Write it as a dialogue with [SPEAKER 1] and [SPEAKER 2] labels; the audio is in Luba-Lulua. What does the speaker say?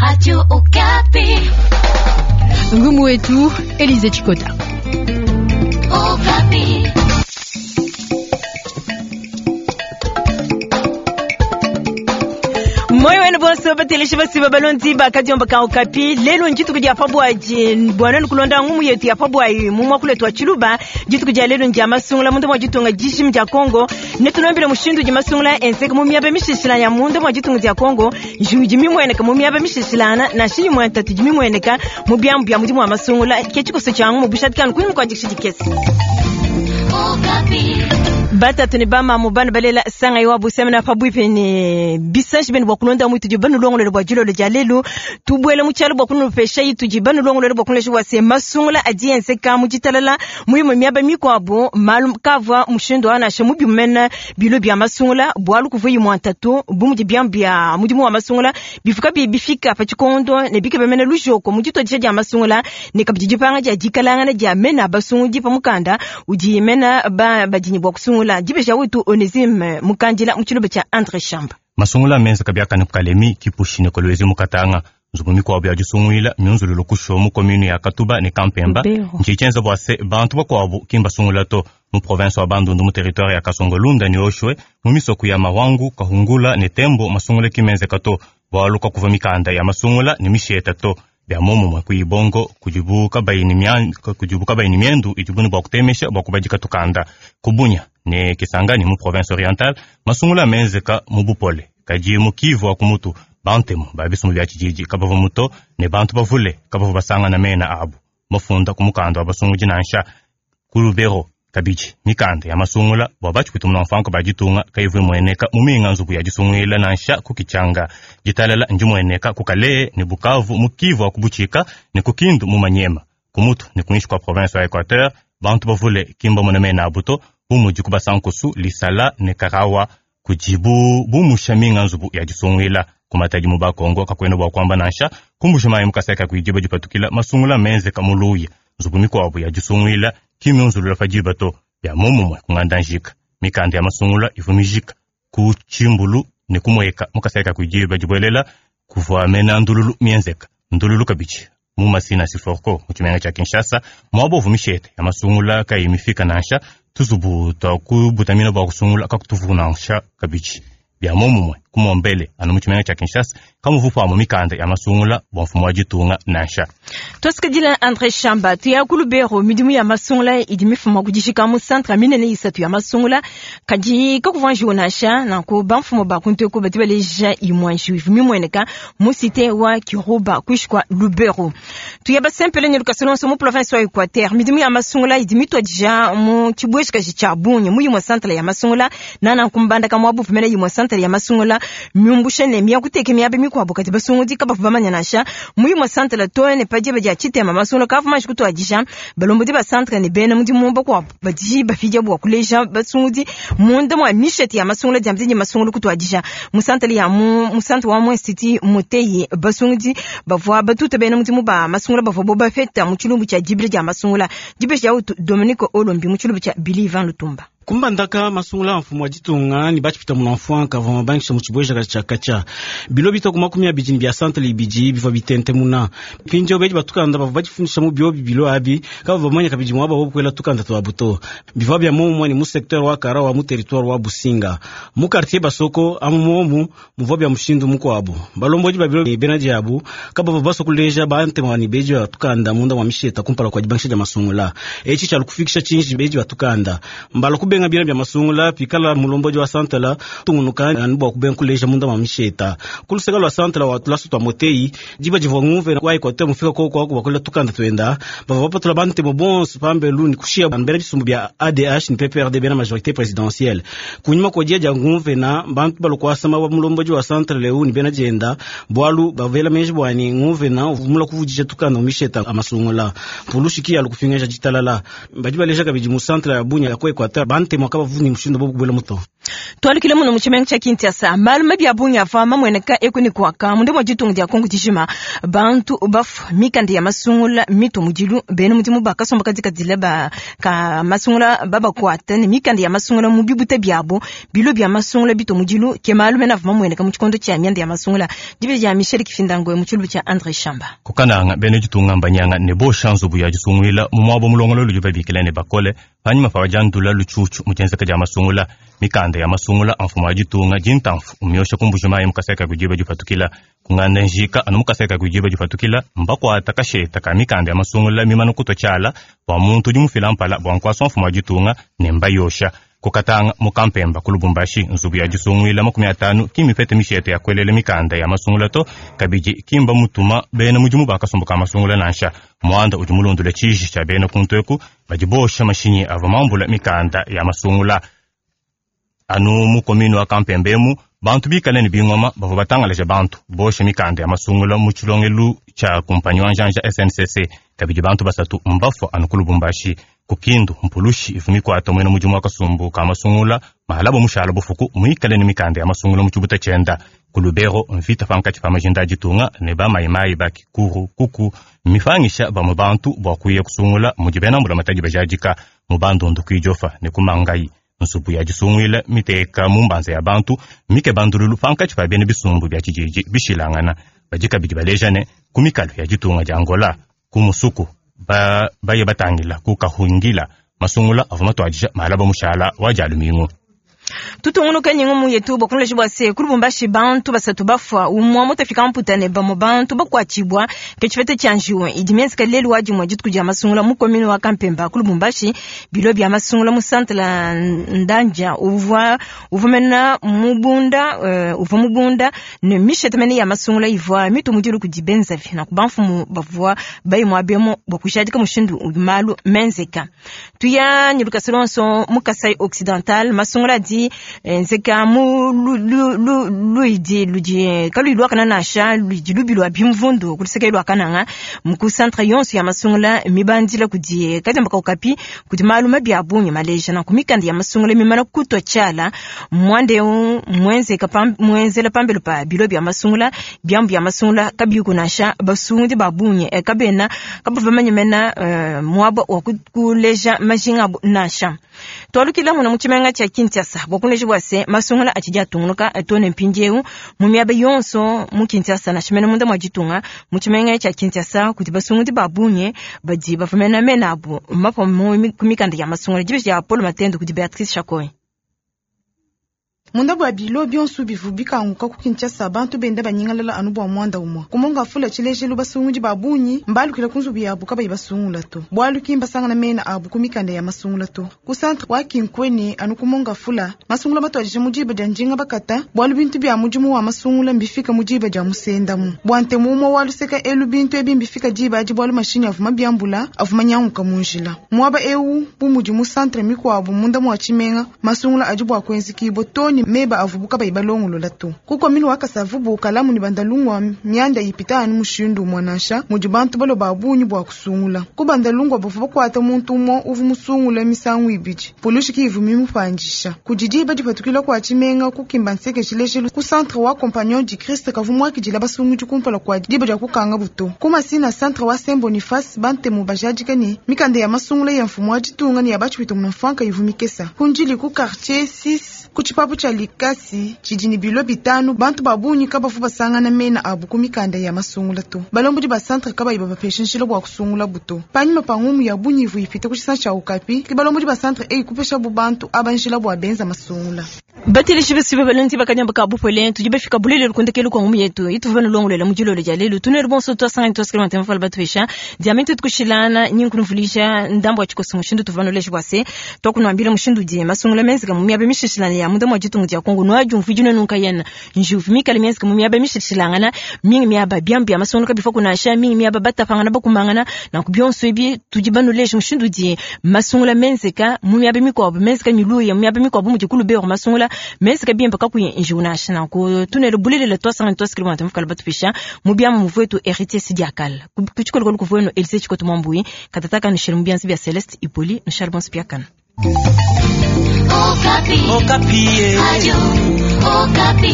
[SPEAKER 1] Radio Okapi.
[SPEAKER 2] Ngumu wetu Elize Chikota.
[SPEAKER 1] Okapi.
[SPEAKER 3] Moyo wenu bonso bateleshi basiba balonzi bakadiomba ka Okapi. Lelo ndituku dia pabwaji bwana nukulonda ngumu yetu ya pabwayi mu mwakule twa Tshiluba. Dituku dia lelo ndia masungula mundu mwa ditunga dijimi dia Congo. Netulombele mushindu di masungula enzeka mu miaba mishishila ya mundu mwa ditunga dia Congo. Njuwu mimweneka mu miaba mishishilana na shinyi mwa ntatu di mimweneka mu biambu bia mudimu wa masungula. Ke tshikoso tshia ngumu bushatikanu kunyima kua dikisha dikese.
[SPEAKER 1] Okapi.
[SPEAKER 3] Batatu ne bamamu bana balela sanga iwa busemena pabwipe ne bisanji bene bua kulonda mu tudi banu longolole bua dilolo dia lelu tubuele mu tshialo bua kunupesha itudi banu longolole bua kunulesha bua se masungula adi enzeka mu ditalala mu imue miaba mikuabu malu kavua mushindu wa nansha mubi mumene bilo bia masungula bualu kuvua imue ntatu bu mudi biambu bia mudimu wa masungula bivuka bi bifika pa tshikondo ne bikeba mene lujoko mu dituadija dia masungula ne kabidi dipanga dia dikalangana dia mena basungudi pa mukanda udi mena ba badinyi bua kusungula dibeja wetu Onesime Mukandila mu tshilobo tshia Andre Shamba.
[SPEAKER 4] Masungula menza kabiakane ku Kalemi kipushi ne Kolwezi mu Katanga. Nzubu mikuabu ya disunguila miunzululu kusho mu commune ya Katuba ne Kampemba. Ntshietshienza bua se bantu bakuabu ki mbasungula to mu province wa Bandundu mu territoire ya Kasongolunda ne Oshwe mu misoko ya Mawangu, Kahungula ne Tembo masungula ki menzeka to bualu kakuva mikanda ya masungula ne misheta to. Bia momumue ku Ibongo kudibu kabayi ne miendu idibu ne bua kutemesha bua kubadika tukanda. Ku Bunia ne Kisangani mu province orientale masungula menzeka mu bupole kadi mu Kivu wa kumutu bantemu ba bisumbu bia tshididi kabavua muto ne bantu bavule kabavua basangana mena abu mafunda ku mukanda wa basungudi nansha ku Lubero kabidi mikanda ya masungula bua batshikutu muna ba ditunga kayivua imueneka mu minga nzubu ya disunguila nansha ku Kichanga. Ditalala ndimueneka ku Kalehe ne Bukavu mu Kivu wa kubutshika ne ku Kindu mu Manyema. Kumutu ne kuinshi kua province wa Equateur bantu bavule kimba mona mena abu to bu mudi ku Basankusu, Lisala ne Karawa kudibu bumusha minga nzubu ya disunguila. Kumatadi mu Bakongo kakuena bua kuamba nansha kumbusha mayi mu Kasai kakuidiba dipatukila masungula menzeka mu Luya. Nzubu mikuabu ya disunguila kimiunzulula pa diba to bia momumue kunganda njika mikanda ya masungula ivua mijika ku tshimbulu ne kumueka mu Kasai kakuidiba dibuelela kuvua mena ndululu mienzeka ndululu kabidi mu Masina Siforco mu tshimenga tshia Kinshasa muaba uvua mishete ya masungula kayi mifika nansha tuzubu tua kubutamina bua kusungula kakutuvu nansha kabidi bia momumue kumombele anu mu tshimenga tshia Kinshasa kamuvu pamu mikanda ya masungula bua mfumu wa ditunga nansha.
[SPEAKER 3] Tosikadila Andre Shamba tuya ku Lubero midimu ya masungula idi mifuma kudishika mu centre minene isatu ya masungula kadi kakuvua njiwu nansha nanku bamfumu ba kuntu eku badi baleja imue njiwu ivua mimueneka mu cité wa Kiruba kuinshi kua Lubero. Tuya basempele ne lukasa luonso mu province wa Equateur midimu ya masungula idi mituadija mu tshibueshikaji tshia bungi mu imue centre ya masungula nana kumbandaka muabu pamene imue centre ya masungula miumbushe ne miakuteke miaba mikuabu kadi basungudi kabavu bamanya nansha mu imue centre to ne padiba dia tshitema masungula kavua manji kutuadija balombodi ba centre ne bena mudimu bakuabu badi bapidia bua kuleja basungudi munda mua mishete ya masungula dia mudi masungula kutuadija mu centre ya mu centre wa mu institut Muteyi basungudi bavua batuta bena mudimu ba masungula bavua bo bafeta mu tshilumbu tshia dibila dia masungula dibesha ya Dominique Olombi mu tshilumbu tshia Billy Van Lutumba.
[SPEAKER 5] Kumbandaka masungula mfumu wa ditunga ni batshipita muna kavua mabangisha mu tshibwejaka tshia katshia bilo bita ku 20 ne bia centre ibidi bivua bitente muna mpindieu bedi batukanda bavua badifundisha mu biobi bilo abi kavua bamanya kabidi muaba wo kuela tukanda tuabu to bivua bia momumue ne mu secteur wa Karawa mu territoire wa Businga mu quartier Basoko amu momu muvua bia mushindu mukuabu balombodi ba bilo ne bena diabu kabavua basua kuleja bantema ne bedi batukanda munda mwa misheta kumpala kua dibangisha dia masungula etshi tshialu kufikisha tshinji bedi batukanda mbala kubenga bina bia masungula pikala mulombodi wa santala tungunuka anu bua kubenga kuleja munda mwa misheta kuluseka lwa santala wa tulasu twa motei diba divua ngumve wa Equateur mufika koko wako bakolela tukanda twenda bavua bapatula bantemo bonso pambelu ni kushia bambela bisumbu bia ADH ni PPRD bena majorité présidentielle kunyuma kwa dia dia ngumve na bantu balokwasama wa mulombodi wa santala leu ni bena dienda bwalu bavela menji bwani ngumve na uvumula kuvudisha tukanda misheta amasungula pulushiki alukufingesha ditalala badi baleja kabidi mu santala ya Bunia ya ku Equateur bantemo kabavuni mushindu bo kubwela muto.
[SPEAKER 3] Tualukile muno mu tshimenga tshia Kinshasa, malu mabi a bungi avua mamueneka eku ne kuaka munda mua ditunga dia Kongo dijima. Bantu bafua, mikanda ya masungula mitua mudilu, bena mudimu ba kasumbu kadikadile ba ka masungula babakuata ne mikanda ya masungula mu bibuta biabo, bilo bia masungula bitua mudilu, ke malu mene avua mamueneka mu tshikondo tshia mianda ya masungula. Dibeji dia Michel Kifindangwe mu tshilubu tshia Andre Shamba.
[SPEAKER 4] Kukananga bena ditunga mbanyanga ne bosha nzubu ya disunguila mu muaba mulongololo udi babikila ne bakole panyima pa badiandula lutshutshu mu dienzeka dia masungula. Mikanda ya masungula a mfumu wa ditunga dintamfu umiosha kumbujimayi mukaseka kudiba dipatukila kunganda njika anu mukaseka kudiba dipatukila mbakwata kasheta ka mikanda ya masungula mimana kutwa tshiala bua muntu udi mufila mpala bua nkuasa mfumu wa ditunga ne mbayosha. Kukatanga mukampemba ku Lubumbashi nzubu ya disunguila 50 kimipete mishete ya kwelela mikanda ya masungula to kabidi kimba mutuma bena mudimu bakasumbuka masungula nansha mwanda udi mulundule tshiji tshia bena kuntweku badi bosha mashinyi ava mambula mikanda ya masungula. Anu mu komini wa Kampembemu bantu bikale ne bingoma bavua batangalaja bantu bosha mikanda ya masungula mu tshilongelu tshia kumpanyi wa njanja SNCC kabidi bantu basatu mbafua anu ku Lubumbashi. Kukindu mpulushi ivu mikwata mwena mudimu wa kasumbu ka masungula mahalabo mushala bufuku muikale ne mikanda ya masungula mu tshibuta tshienda. Ku Lubero mvita pankatshi pa majinda a ditunga ne bamayimayi ba kikuru kuku mifangisha bamwe bantu bua kuya kusungula mudi bena mbula matadi bajadika mu bandundu kuidjofa ne kumangayi. Nsubu ya disunguila miteka mu mbanza ya bantu mike bandululu pankatshi pa bena bisumbu bia tshididi bishilangana. Badi kabidi baleja ne ku mikalo ya ditunga dia Angola ku musuku baye batangila ku kahungila masungula avua matuadija malaba mushala wa dialumingu.
[SPEAKER 3] Tutungunuka nyingu mu yetu bakunleje bua se ku Lubumbashi bantu basatu bafua umua mutafika mputa ne bamwe bantu bakuatshibua ke tshipeta tshia njiwu idi mienzeka lelu wa dimue dituku dia masungula mu komini wa Kampemba ku Lubumbashi. Bilo bia masungula mu centre la Ndanja uvua mena mubunda uvua mubunda ne mishete mene ya masungula ivua mitu mudilu kudi benzavi na kubamfumu bavua bayi muabemo bua kujadika mushindu udi malu menzeka. Tuya nyiluka lonso mu Kasai Occidental masungula di nzeka mu luidi ludi kalu lwakana nasha ludi lubilwa bimvundu kuliseka lwakananga mu centre yonso ya masungula mibandila kudi kajamba kaukapi kudi malu mabi abunyi maleja na kumikanda ya masungula mimana kutwa tshiala mwande mwenzeka mwenzela pambelo pa bilo bya masungula byambu ya masungula kabiku nasha basungi babunye kabena kabavamanya mena mwabo wa kuleja majinga nasha. Twalukila muna muchimenga cha Kinshasa bokuneje bwase masungula achija tungunuka tone mpinjeu mu miaba yonso mu Kinshasa na shimene munda mwajitunga muchimenga cha Kinshasa kuti basunguti babunye badi bafumena mena abo mapo mu kumikanda ya masungula jibe ya Paul Matendo kuti Beatrice Chakoy.
[SPEAKER 6] Munda bua bilo bionso bivu bikanguka ku Kinshasa bantu benda banyingalala anu bua mwanda umwa kumonga fula tshilejelu basungudi babunyi mbalukila ku nzubu yabu kabayi basungula to bualu ki mbasangana mena abu ku mikanda ya masungula to ku centre wa Kinkweni anu kumonga fula masungula matuadija mu diba dia njinga bakata bualu bintu bia mudimu wa masungula mbifika mu diba dia musendamu bua ntemu umwe wa luseka elu bintu ebi mbifika diba adi bualu mashinyi avuma biambula avuma nyanguka mu njila muaba ewu bu mudi mu centre mikuabu munda mua tshimenga masungula adi bua kuenzikibo toni meba avubuka bayibalongolola to kukomini wakasavubu kalamu ni bandalungwa myanda ipita anu mushindu mwanasha mudi bantu balo babunyi bua kusungula ku bandalungwa bavu bakwata muntu umwe uvu musungula misangu ibidi polushi kivu mimupandisha kudidiba dipatukila kwa tshimenga kukimba nseke tshilejelu ku centre wa Compagnon du Christ kavu mwakidila basungudi kumpala kwa diba dia kukanga buto kumasina centre wa Saint Boniface bantemu bajadika ni mikanda ya masungula ya mfumu wa ditunga ni ya batshipita munamfanka ivu mikesa kunjili ku quartier 6 kutshipapu tshia likasi tshidi bilo bitanu bantu babunyi kabavu basangana mena abu ku mikanda ya masungula to balombodi ba centre kabayi babapesha nshila bua kusungula buto panyima pa ngumu ya bunyivu ipita ku tshisana tshia Okapi ke balombodi ba centre eyi kupesha bu bantu aba nshila bua benza masungula.
[SPEAKER 3] Batilishi besibe balonzi bakanyamba ka bupole tudi bafika bulele lukundekelu kwa ngumu yetu ituva nulongolela mujilolo dia lelu tunelu bonso twasanga twasikela mantema fala batwesha diamante tukushilana nyinkunuvulisha ndambo achikosi mushindu tuvanolesha bwase twakunuambila mushindu die masungula menzika mu miabe mishishilana ya muda mwajitungu dia Kongo nwaju mvijino nunka yena njuvu mikale menzika mu miabe mishishilangana mingi miaba byambi masungula kabifo kunasha mingi miaba batapangana bakumangana na kubyonso ebi tudi banolesha mushindu die masungula menzika mu miabe mikwabo menzika miluya mu miabe mikwabo mujikulu bero masungula menzika bimba kakuye njuna na ku tunelo bulele twasanga twasikela mantema fala batwesha mu byama muvwetu héritier sidiakal kuchikolo kuvueno Elise Chikoto Mwambui katataka nishel mubianzi bya Celeste Ipoli nishal bonspiakana.
[SPEAKER 1] Okapi.
[SPEAKER 7] Okapi.
[SPEAKER 1] Radio Okapi.